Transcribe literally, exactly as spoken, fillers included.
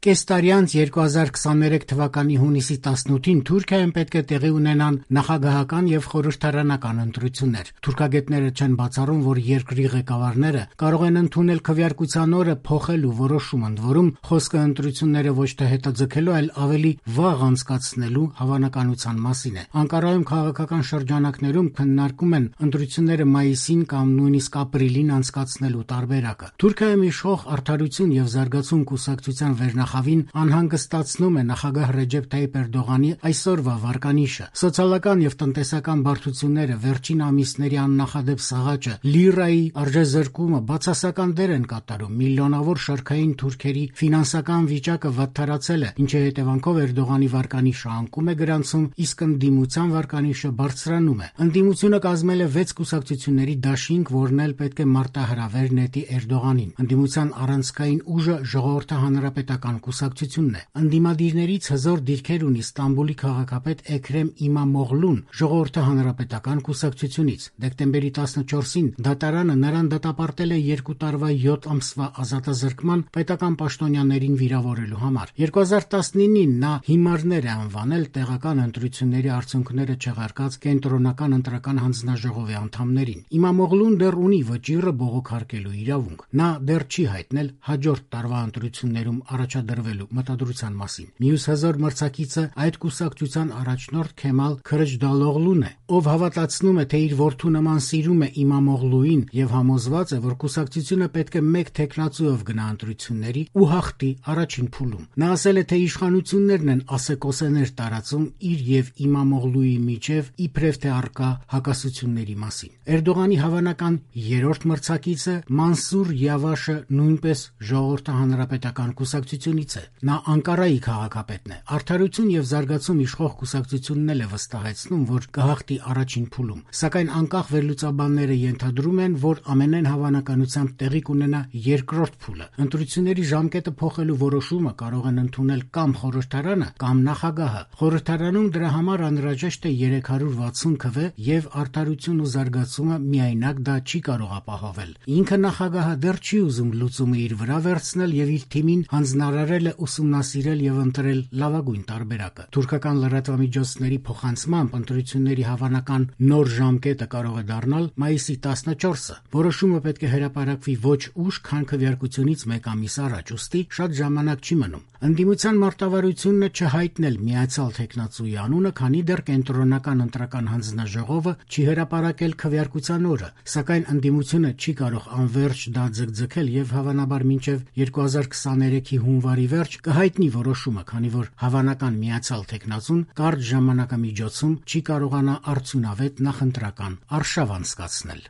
Կես տարի անց երկու հազար քսաներեք թվականի հունիսի տասնութին Թուրքիայում պետք է տեղի ունենան նախագահական եւ խորհրդարանական ընտրություններ։ Թուրքագետները չեն բացառում, որ երկրի ղեկավարները կարող են ընդունել քվեարկության օրը փոխելու որոշում, ընդ որում խոսքը ընտրությունները ոչ թե հետաձգելու, այլ ավելի վաղ անցկացնելու հավանականության մասին է։ Անկարայում քաղաքական շրջանակներում քննարկում են ընտրությունները մայիսին կամ նույնիսկ ապրիլին անցկացնելու տարբերակը։ Թուրքիայում իշխող Արդարություն եւ զարգացում կուսակցության վերնախավին անհանգստացնում է նախագահ Ռեջեփ Թայիփ Էրդողանի այսօրվա վարկանիշը։ Սոցիալական եւ տնտեսական բարդությունները, վերջին ամիսների աննախադեպ սաղաճը, լիրայի արժեզրկումը բացասական դեր են կատարում։ Միլիոնավոր շարքային թուրքերի ֆինանսական վիճակը վատթարացել է, ինչի հետևանքով Էրդողանի վարկանիշը անկում է գրանցում, իսկ ընդդիմության վարկանիշը բարձրանում է։ Ընդդիմությունը կազմել է վեց կուսակցությունների դաշինք, որն էլ պետք է մարտահրավեր նետի Էրդողանին։ Ընդդիմության առանցքային ուժը Ժողովրդի հանրապետական կուսակցությունն է։ Ընդդիմադիրներից հզոր դիրքեր ունի Ստամբուլի քաղաքապետ Էքրեմ Իմամօղլուն Ժողովրդի հանրապետական կուսակցությունից։ Դեկտեմբերի տասնչորսին դատարանը նրան դատապարտել է երկու տարվա յոթ ամսվա ազատազրկման պետական պաշտոնյաներին վիրավորելու համար։ երկու հազար տասնինին նա հիմարներ է անվանել տեղական ընտրությունների արդյունքները չեղարկած կենտրոնական ընտրական հանձնաժողովի անդամներին։ Իմամօղլուն դեռ ունի վճիռը բողոքարկելու իրավունք։ Նա դեռ չի հայտնել հաջորդ տարվա ընտրություններում առաջադրվելու մտադրության մասին։ Մյուս հզոր մրցակիցը այդ կուսակցության առաջնորդ Քեմալ Քրիջդալօղլուն է, ով հավատացնում է, թե իր որդու նման սիրում է Իմամօղլուին եւ համոզված է, որ կուսակցությունը պետք է մեկ թեկնածուով գնա ընտրությունների ու հաղթի առաջին փուլում։ Նա ասել է, թե իշխանություններն են ասեկոսեներ տարածում իր եւ Իմամօղլուի միջև իբրև թե առկա հակասությունների մասին։ Էրդողանի հավանական երրորդ մրցակիցը Մանսուր Յավաշը նույնպես Ժողովրդի հանրապետական կուսակցությունից է։ Նա Անկարայի քաղաքապետն է։ Արդարություն եւ զարգացում իշխող կուսակցությունն էլ է վստահեցնում, որ կհաղթի առաջին փուլում, սակայն անկախ վերլուծաբանները ենթադրում են, որ ամենայն հավանականությամբ տեղի կունենա երկրորդ փուլը։ Ընտրությունների ժամկետը փոխելու որոշումը կարող են ընդունել կամ խորհրդարանը, կամ նախագահը։ Խորհրդարանում դրա համար անհրաժեշտ է երեք հարյուր վաթսուն քվե եւ Արդարություն ու զարգացումը միայնակ դա չի կարող ապահովել։ Ինքը նախագահը դեռ չի ուզում լուծումը իր վրա վերցնել եւ իր թիմին հանձնարարել է ուսումնասիրել եւ ընտրել լավագույն տարբերակը։ Թուրքական լրատվամիջոցների փոխանցմամբ ընտրությունների հավանական նոր ժամկետը կարող է դառնալ մայիսի տասնչորսը։ Որոշումը պետք է հրապարակվի ոչ ուշ, քան քվեարկությունից մեկ ամիս առաջ, ուստի շատ ժամանակ չի մնում։ Ընդդիմության մարտավարությունն է չհայտնել միացյալ թեկնածուի անունը, քանի դեռ կենտրոնական ընտրական հանձնաժողովը չի հրապարակել քվեարկության օրը, սակայն ընդդիմությունը չի կարող անվերջ դա ձգձգել եւ հավանաբար մինչեւ երկու հազար քսաներեքի հունվարի վերջ կհայտնի որոշումը, քանի որ հավանական միացյալ թեկնածուն կարճ ժամանակամիջոցում չի կարողանա արդյունավետ նախընտրական արշավ անցկացնել։